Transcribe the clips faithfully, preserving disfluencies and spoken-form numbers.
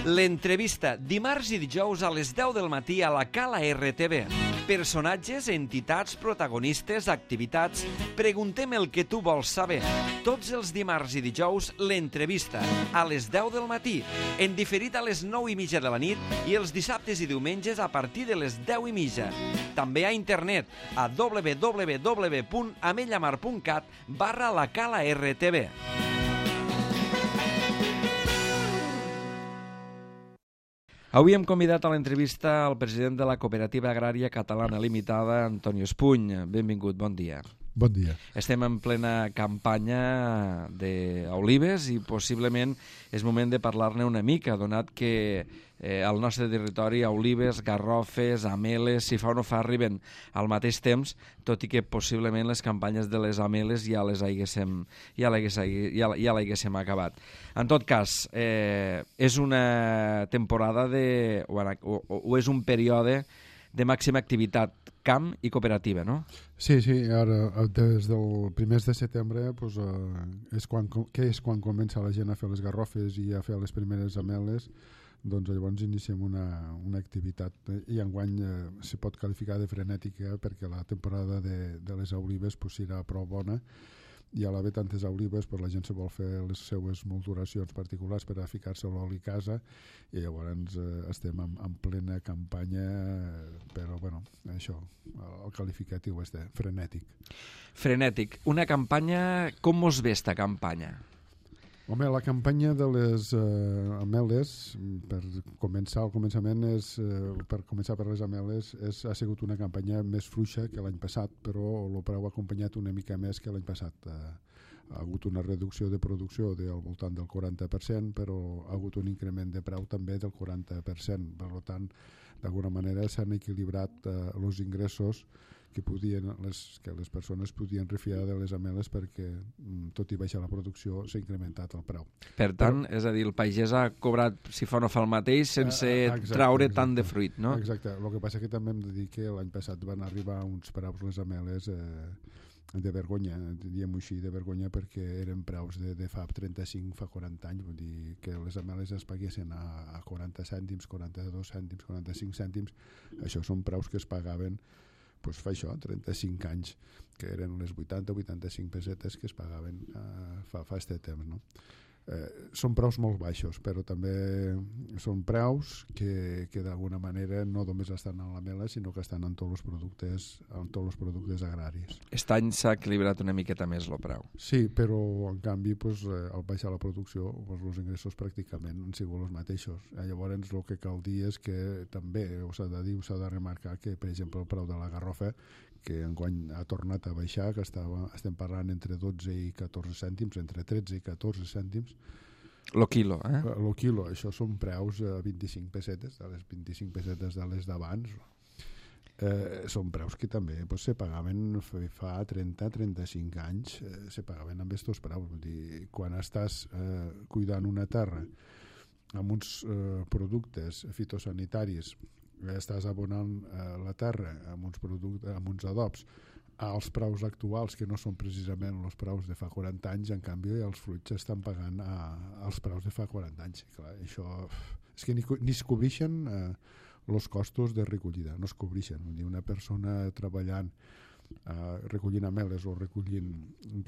L'entrevista, dimarts i dijous a les deu del matí a la Cala R T V. Personatges, entitats, protagonistes, activitats... Preguntem el que tu vols saber. Tots els dimarts i dijous, l'entrevista, a les deu del matí, en diferit a les nou i mitja de la nit i els dissabtes i diumenges a partir de les deu i mitja. També a internet, a w w w punt ametlla mar punt cat barra la Cala R T V. Avui hem convidat a l'entrevista al president de la Cooperativa Agrària Catalana Limitada, Antonio Espuny. Benvingut, bon dia. Bon dia. Estem en plena campanya d'olives i possiblement és moment de parlar-ne una mica, donat que eh, al nostre territori olives, garrofes, ameles, si fa o no fa, arriben al mateix temps, tot i que possiblement les campanyes de les ameles ja les haguéssim, ja l'haguéssim, ja, ja l'haguéssim acabat. En tot cas, eh, és una temporada de, o, o, o és un període de màxima activitat camp i cooperativa, no? Sí, sí, ara des del primers de setembre pues, eh, és quan, que és quan comença la gent a fer les garrofes i a fer les primeres ameles, doncs llavors iniciem una, una activitat i enguany eh, se pot qualificar de frenètica perquè la temporada de, de les olives pues, serà prou bona i a l'haver tantes olives pues, la gent se vol fer les seues molduracions particulars per a ficar-se l'oli a casa i llavors eh, estem en, en plena campanya eh, però bueno, això el qualificatiu és de frenètic. Frenètic. Una campanya, com mos ve esta campanya? Home, la campanya de les eh, ameles, per començar al començament, és, eh, per començar per les ameles, és, ha sigut una campanya més fluixa que l'any passat, però el preu ha acompanyat una mica més que l'any passat. Eh, ha hagut una reducció de producció del voltant del quaranta per cent, però ha hagut un increment de preu també del quaranta per cent. Per tant, d'alguna manera s'han equilibrat eh, els ingressos que podien les, que les persones podien refiar de les ameles perquè, tot i baixar la producció, s'ha incrementat el preu. Per tant, Però, és a dir, el pagès ha cobrat, si fa no fa el mateix, sense exacte, traure exacte, tant de fruit, no? Exacte. El que passa que també hem de dir que l'any passat van arribar uns preus les ameles eh, de vergonya, diguem-ho així, de vergonya, perquè eren preus de, de fa trenta-cinc, fa quaranta anys, vull dir que les ameles es paguessin a, a quaranta cèntims, quaranta-dos cèntims, quaranta-cinc cèntims. Això són preus que es pagaven pues fa això, trenta-cinc anys, que eren les vuitanta o vuitanta-cinc pessetes que es pagaven eh, fa, fa este temps, no? Eh, són preus molt baixos, però també són preus que, que d'alguna manera no només estan en la mela, sinó que estan en tots els productes, en tots els productes agraris. Aquest any s'ha equilibrat una miqueta més el preu. Sí, però en canvi, pues, eh, al baixar la producció, pues, els ingressos pràcticament han sigut els mateixos. Eh, llavors, el que cal dir és que també s'ha de dir, s'ha de remarcar que, per exemple, el preu de la garrofa, que enguany ha tornat a baixar, que estava, estem parlant entre dotze i catorze cèntims, entre tretze i catorze cèntims. Lo quilo, eh? Lo quilo, això són preus a vint-i-cinc pessetes, de les vint-i-cinc pessetes de les d'abans. Eh, són preus que també pues, se pagaven fa trenta a trenta-cinc anys, eh, se pagaven amb aquests preus. Vull dir, quan estàs eh, cuidant una terra amb uns eh, productes fitosanitaris, estàs abonant eh, la terra amb uns, productes, amb uns adobs als preus actuals que no són precisament els preus de fa quaranta anys, en canvi els fruits estan pagant a, als preus de fa quaranta anys. Clar, això és que ni, ni es cobreixen eh, els costos de recollida, no es cobreixen. Vull dir, una persona treballant eh, recollint ameles o recollint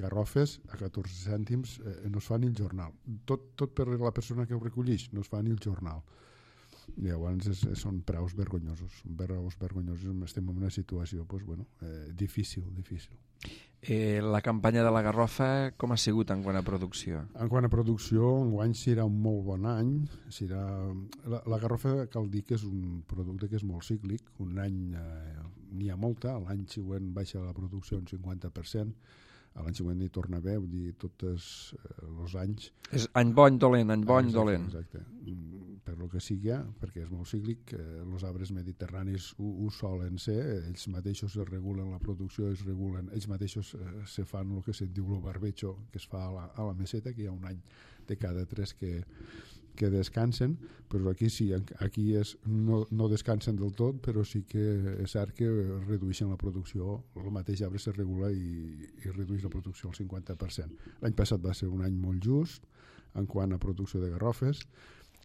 garrofes a catorze cèntims eh, no es fa ni el jornal. Tot, tot per la persona que ho recolleix, no es fa ni el jornal. Llavors és, són preus vergonyosos, preus vergonyosos. Estem en una situació pues, bueno, eh, difícil, difícil. Eh, la campanya de la garrofa com ha sigut en quant a producció? En quant a producció, enguany serà un molt bon any. Serà... La, la garrofa cal dir que és un producte que és molt cíclic. Un any eh, n'hi ha molta, l'any següent baixa la producció un cinquanta per cent, a l'any següent hi torna a haver, vull dir, tots eh, els anys... És any bon, dolent, any bon, exacte, dolent. Exacte, per lo que sigui, perquè és molt cíclic, eh, els arbres mediterranis ho, ho solen ser, ells mateixos es regulen la producció, es regulen, ells mateixos eh, se fan el que se'n diu el barbecho, que es fa a la, a la meseta, que hi ha un any de cada tres que, que descansen, però aquí sí, aquí és, no, no descansen del tot, però sí que és cert que redueixen la producció, el mateix arbre se regula i, i redueix la producció al cinquanta per cent. L'any passat va ser un any molt just en quant a producció de garrofes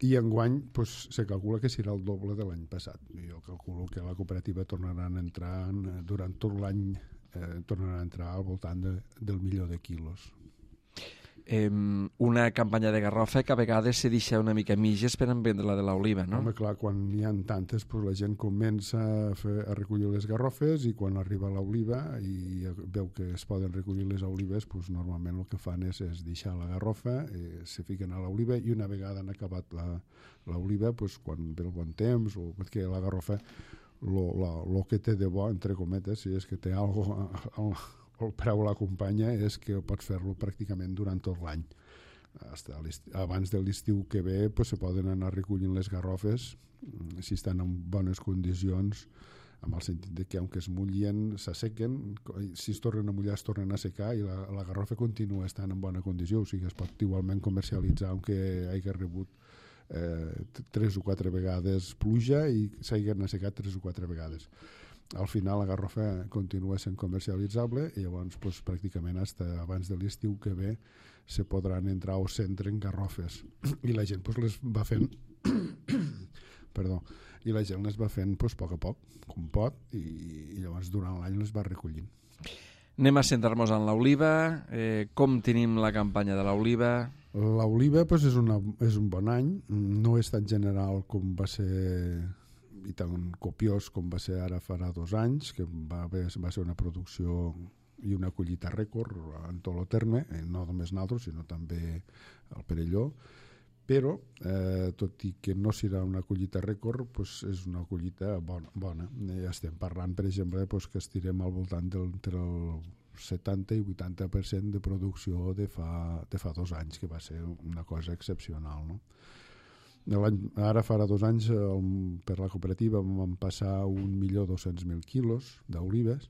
i enguany pues, se calcula que serà el doble de l'any passat. Jo calculo que la cooperativa tornarà a entrar durant tot l'any, eh, tornarà a entrar al voltant de, del milió de quilos. Eh, una campanya de garrofa que a vegades se deixa una mica mitges per vendre la de l'oliva, no? Home, clar, quan n'hi ha tantes, pues, la gent comença a, fer, a recollir les garrofes i quan arriba l'oliva i veu que es poden recollir les olives, pues, normalment el que fan és, és deixar la garrofa, eh, se fiquen a l'oliva i una vegada han acabat l'oliva, pues, quan ve el bon temps, o perquè la garrofa, el que té de bo, entre cometes, si és que té alguna cosa... el preu l'acompanya, és que pots fer-lo pràcticament durant tot l'any. Abans de l'estiu que ve pues, se poden anar recollint les garrofes si estan en bones condicions, amb el sentit de que aunque es mullien, s'assequen, si es tornen a mullar es tornen a secar i la, la garrofa continua estant en bona condició, o sigui es pot igualment comercialitzar aunque hagi rebut eh, tres o quatre vegades pluja i s'hagin assecat tres o quatre vegades. Al final la garrofa continua sent comercialitzable i llavors pues, pràcticament fins abans de l'estiu que ve se podran entrar o s'entren garrofes i la gent pues, les va fent perdó i la gent les va fent pues, a poc a poc com pot i, i llavors durant l'any les va recollint. Anem a centrar-nos en l'oliva. Eh, com tenim la campanya de l'oliva? L'oliva pues, és, una, és un bon any, no és tan general com va ser i tan copiós com va ser ara farà dos anys, que va, haver, va ser una producció i una collita rècord en tot el terme, no només nosaltres, sinó també el Perelló, però eh, tot i que no serà una collita rècord, pues, és una collita bona. bona. Ja estem parlant, per exemple, pues, que estirem al voltant del, entre el setanta i vuitanta per cent de producció de fa, de fa dos anys, que va ser una cosa excepcional, no? Ara farà dos anys el, per la cooperativa vam passar un milió dos-cents mil quilos d'olives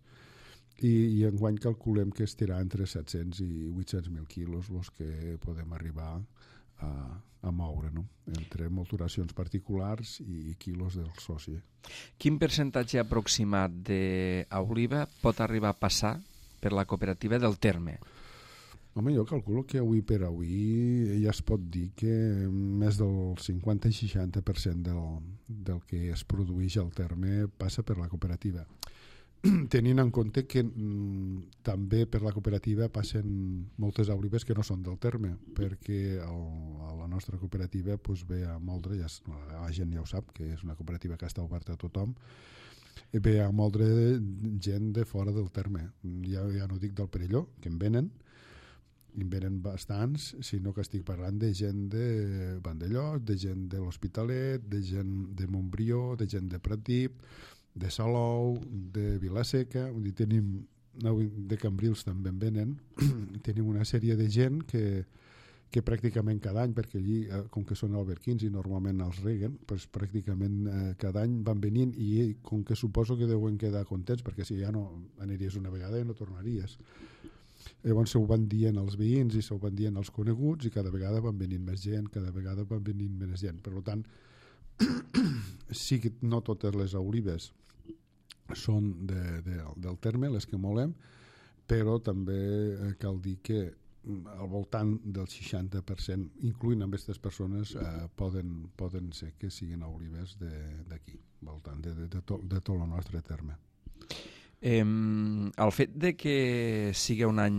i, i enguany calculem que estirà entre set-cents i vuit-cents mil quilos els que podem arribar a, a moure, no? Entre molturacions particulars i quilos del soci. Quin percentatge aproximat d'oliva pot arribar a passar per la cooperativa del terme? Home, jo calculo que avui per avui ja es pot dir que més del cinquanta i seixanta per cent del, del que es produeix al terme passa per la cooperativa. Tenint en compte que mm, també per la cooperativa passen moltes olives que no són del terme, perquè el, la nostra cooperativa pues, ve a moldre, ja, la gent ja ho sap, que és una cooperativa que està oberta a tothom, ve a moldre gent de fora del terme. Ja, ja no dic del Perelló, que en venen, en venen bastants, sinó que estic parlant de gent de Vandellós, de gent de l'Hospitalet, de gent de Montbrió, de gent de Pratdip, de Salou, de Vilaseca, vull dir, tenim, de Cambrils també en venen, tenim una sèrie de gent que, que pràcticament cada any, perquè allí, com que són alberquins i normalment els reguen, doncs pràcticament eh, cada any van venint i com que suposo que deuen quedar contents, perquè si ja no aniries una vegada i no tornaries. Llavors se ho van dient als veïns i se ho van dient als coneguts i cada vegada van venint més gent, cada vegada van venint més gent. Per tant, sí que no totes les olives són de, de, del terme, les que molem, però també cal dir que al voltant del seixanta per cent, incloent amb aquestes persones, eh, poden, poden ser que siguin olives d'aquí, al voltant de, de, de, tot, de tot el nostre terme. Eh, el fet de que sigui un any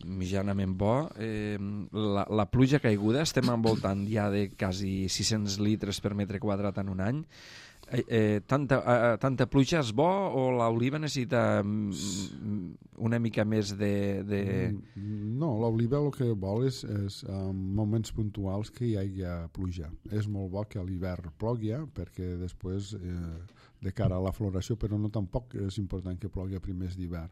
mitjanament bo, eh, la, la pluja caiguda, estem envoltant ja de quasi sis-cents litres per metre quadrat en un any. Eh, eh, tanta, eh, tanta pluja és bo o l'oliva necessita una mica més de... de... No, l'oliva el que vol és, és en moments puntuals que hi hagi pluja. És molt bo que a l'hivern plogui, perquè després... Eh, de cara a la floració, però no tampoc és important que plogui a primers d'hivern.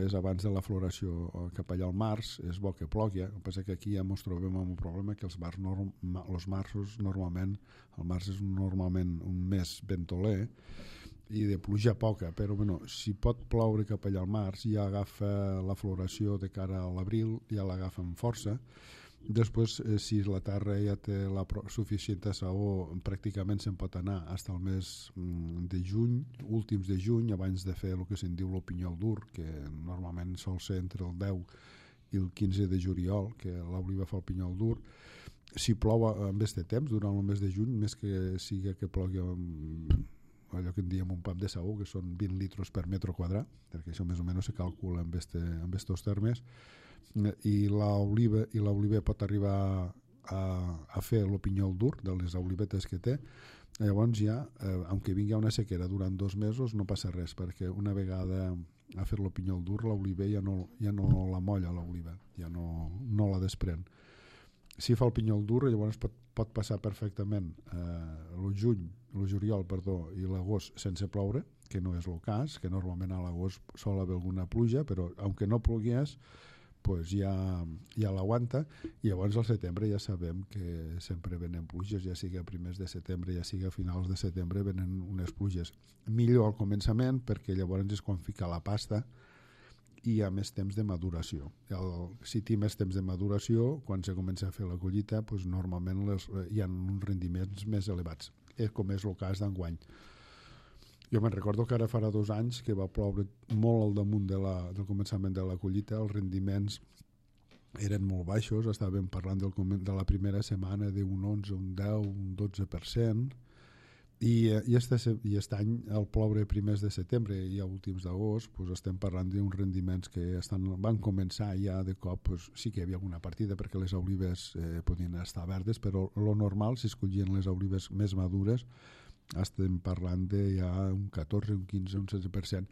És abans de la floració cap allà al març, és bo que plogui. El que passa que aquí ja ens trobem amb un problema que els, mars norm, els marços normalment, el març és normalment un mes ventoler i de pluja poca, però bueno, si pot ploure cap allà al març ja agafa la floració de cara a l'abril, ja l'agafa amb força. Després, eh, si la terra ja té la suficient saó, pràcticament se'n pot anar fins al mes de juny, últims de juny, abans de fer el que se'n diu el pinyol dur, que normalment sol ser entre el deu i el quinze de juliol, que l'oliva fa el pinyol dur, si plou en aquest temps, durant el mes de juny, més que siga que plogui amb allò que en diem un pam de saó, que són vint litres per metre quadrat, perquè això més o menys se calcula amb aquests termes, i l'oliva i l'oliver pot arribar a, a fer el pinyol dur de les olivetes que té. Llavors ja, eh, aunque vingui una sequera durant dos mesos, no passa res, perquè una vegada ha fet el pinyol dur, l'oliver ja no, ja no la molla l'oliva, ja no, no la desprèn. Si fa el pinyol dur, llavors pot, pot passar perfectament eh, el juny, el juliol, perdó, i l'agost sense ploure, que no és el cas, que normalment a l'agost sol haver alguna pluja, però aunque no plogués, pues ja, ja l'aguanta, i llavors al setembre ja sabem que sempre venen pluges, ja sigui a primers de setembre, ja sigui a finals de setembre, venen unes pluges. Millor al començament, perquè llavors és quan fica la pasta, i hi ha més temps de maduració. El, si té més temps de maduració, quan se comença a fer la collita, pues normalment les, hi ha uns rendiments més elevats, eh, com és el cas d'enguany. Jo me'n recordo que ara farà dos anys que va ploure molt al damunt de la, del començament de la collita, els rendiments eren molt baixos, estàvem parlant del, de la primera setmana d'un onze, un deu, un dotze per cent, i, i, este, i aquest any al ploure primers de setembre i a últims d'agost pues estem parlant d'uns rendiments que estan, van començar ja de cop, pues, sí que hi havia alguna partida perquè les olives eh, podien estar verdes, però lo normal, si es collien les olives més madures, estem parlant de ja un catorze, un quinze, un setze per cent,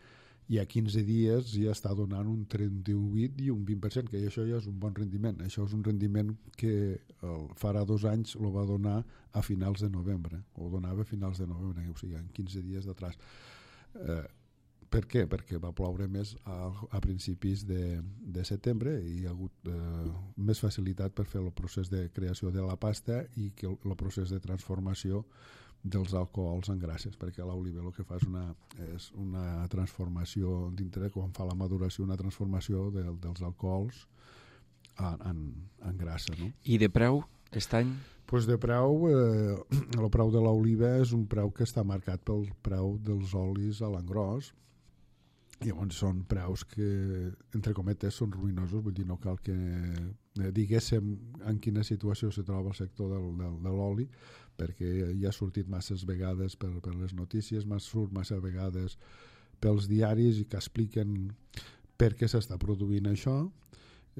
i a quinze dies ja està donant un trenta-vuit i un vint per cent, que això ja és un bon rendiment. Això és un rendiment que el, farà dos anys el va donar a finals de novembre, o donava a finals de novembre, o sigui, en quinze dies d'atrás. Eh, per què? Perquè va ploure més a, a principis de, de setembre i hi ha hagut eh, més facilitat per fer el procés de creació de la pasta i que el, el procés de transformació dels alcohols en grasses, perquè l'oliva el que fa és una, és una transformació dintre, quan fa la maduració, una transformació de, dels alcohols en, en, en grassa. No? I de preu, aquest any? Pues de preu, eh, el preu de l'oliva és un preu que està marcat pel preu dels olis a l'engròs. Llavors són preus que, entre cometes, són ruïnosos, vull dir, no cal que eh, diguéssim en quina situació se troba el sector del, del, de l'oli, perquè ja ha sortit masses vegades per, per les notícies, surt massa vegades pels diaris i que expliquen per què s'està produint això,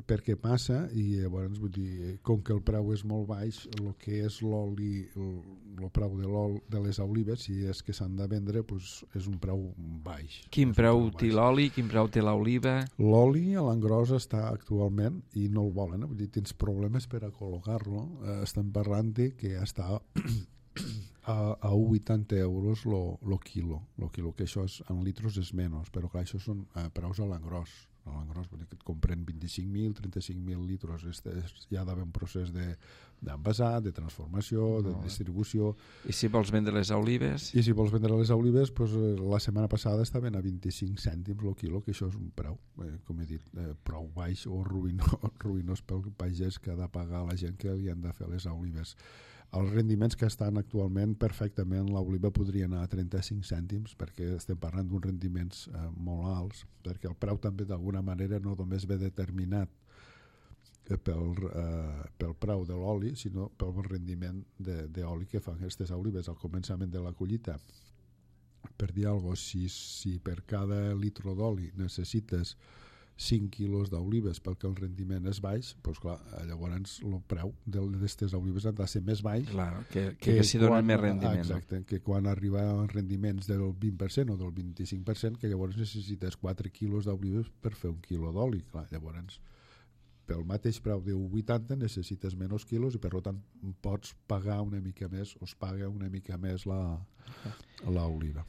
per què passa, i llavors, vull dir, com que el preu és molt baix, el que és l'oli, el, el preu de, l'ol, de les olives, si és que s'han de vendre, pues, és un preu baix. Quin preu té l'oli, quin preu té l'oliva? L'oli a l'engròs està actualment, i no el volen, eh? Vull dir, tens problemes per a col·locar-lo, eh, estem parlant de que està a, a un coma vuitanta euros el quilo, lo quilo, que això és, en litros és menys, però clar, això són eh, preus a l'engròs. A l'engròs, vull dir que et compren vint-i-cinc mil, trenta-cinc mil litros, este, ja ha d'haver un procés d'envasat, de, de transformació, de no, distribució. I si vols vendre les olives? I si vols vendre les olives, pues, la setmana passada estaven a vint-i-cinc cèntims el quilo, que això és un preu, eh, com he dit, eh, prou baix o ruïnós, ruïnós pel pagès que ha de pagar la gent que li han de fer les olives. Els rendiments que estan actualment perfectament, l'oliva podria anar a trenta-cinc cèntims, perquè estem parlant d'uns rendiments eh, molt alts, perquè el preu també d'alguna manera no només ve determinat pel, eh, pel preu de l'oli, sinó pel rendiment d'oli que fan aquestes olives al començament de la collita. Per dir alguna cosa, si, si per cada litre d'oli necessites cinc quilos d'olives perquè el rendiment és baix, doncs clar, llavors el preu d'aquestes olives ha de ser més baix, clar, que, que, que s'hi donen més rendiment. Exacte, que quan arriba a rendiments del vint per cent o del vint-i-cinc per cent, que llavors necessites quatre quilos d'olives per fer un quilo d'oli. Clar, llavors pel mateix preu de un coma vuitanta necessites menys quilos i per tant pots pagar una mica més, o es paga una mica més l'oliva.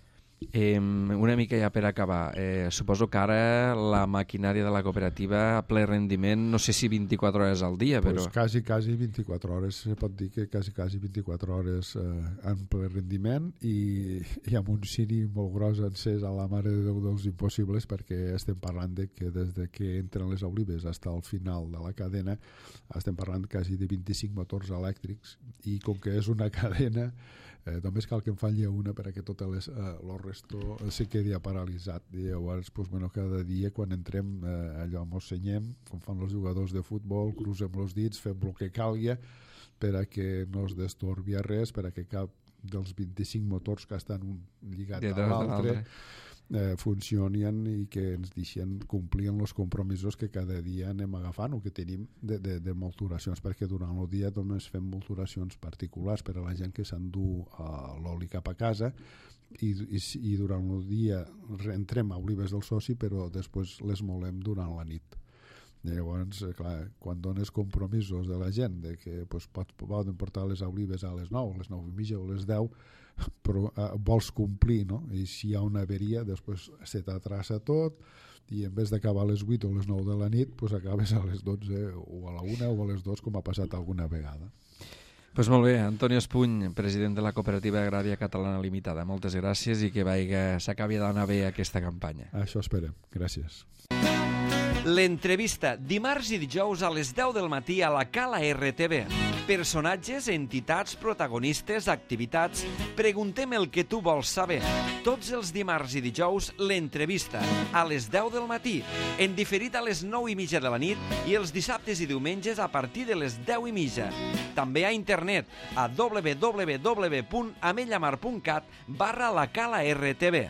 Eh, una mica ja per acabar, eh, suposo que ara la maquinària de la cooperativa a ple rendiment, no sé si vint-i-quatre hores al dia, però... Pues quasi, quasi vint-i-quatre hores, se pot dir que quasi, quasi vint-i-quatre hores eh, en ple rendiment, i, i amb un ciri molt gros encès a la mare de Déu dels impossibles, perquè estem parlant de que des de que entren les olives fins al final de la cadena estem parlant quasi de vint-i-cinc motors elèctrics, i com que és una cadena, Eh, només cal que en falli una perquè tot les, eh, el resto se quedi paralitzat. I llavors, pues, bueno, cada dia quan entrem eh, allò mos senyem, com fan els jugadors de futbol, crucem els dits, fem el que calgui, per a que no es destorbia res, per a que cap dels vint-i-cinc motors que estan un lligat a l'altre eh, funcionin i que ens deixen complir els compromisos que cada dia anem agafant o que tenim de, de, de molturacions, perquè durant el dia només fem molturacions particulars per a la gent que s'endú uh, l'oli cap a casa i, i, i durant el dia entrem a Olives del Soci, però després les molem durant la nit. Llavors, clar, quan dones compromisos de la gent de que pues, pot, poden portar les olives a les nou, a les nou i mitja o a les deu, però eh, vols complir, no? I si hi ha una averia, després se t'atrassa tot i en vez d'acabar a les vuit o a les nou de la nit, pues acabes a les dotze o a la una o a les dos, com ha passat alguna vegada. Pues molt bé, Antonio Espuny, president de la Cooperativa Agrària Catalana Limitada. Moltes gràcies i que vaiga, s'acabi d'anar bé aquesta campanya. Això esperem. Gràcies. L'entrevista, dimarts i dijous a les deu del matí a la Cala R T V. Personatges, entitats, protagonistes, activitats... Preguntem el que tu vols saber. Tots els dimarts i dijous, l'entrevista, a les deu del matí, en diferit a les nou i mitja de la nit i els dissabtes i diumenges a partir de les deu i mitja. També a internet, a w w w punt amellamar punt cat barra la Cala R T V.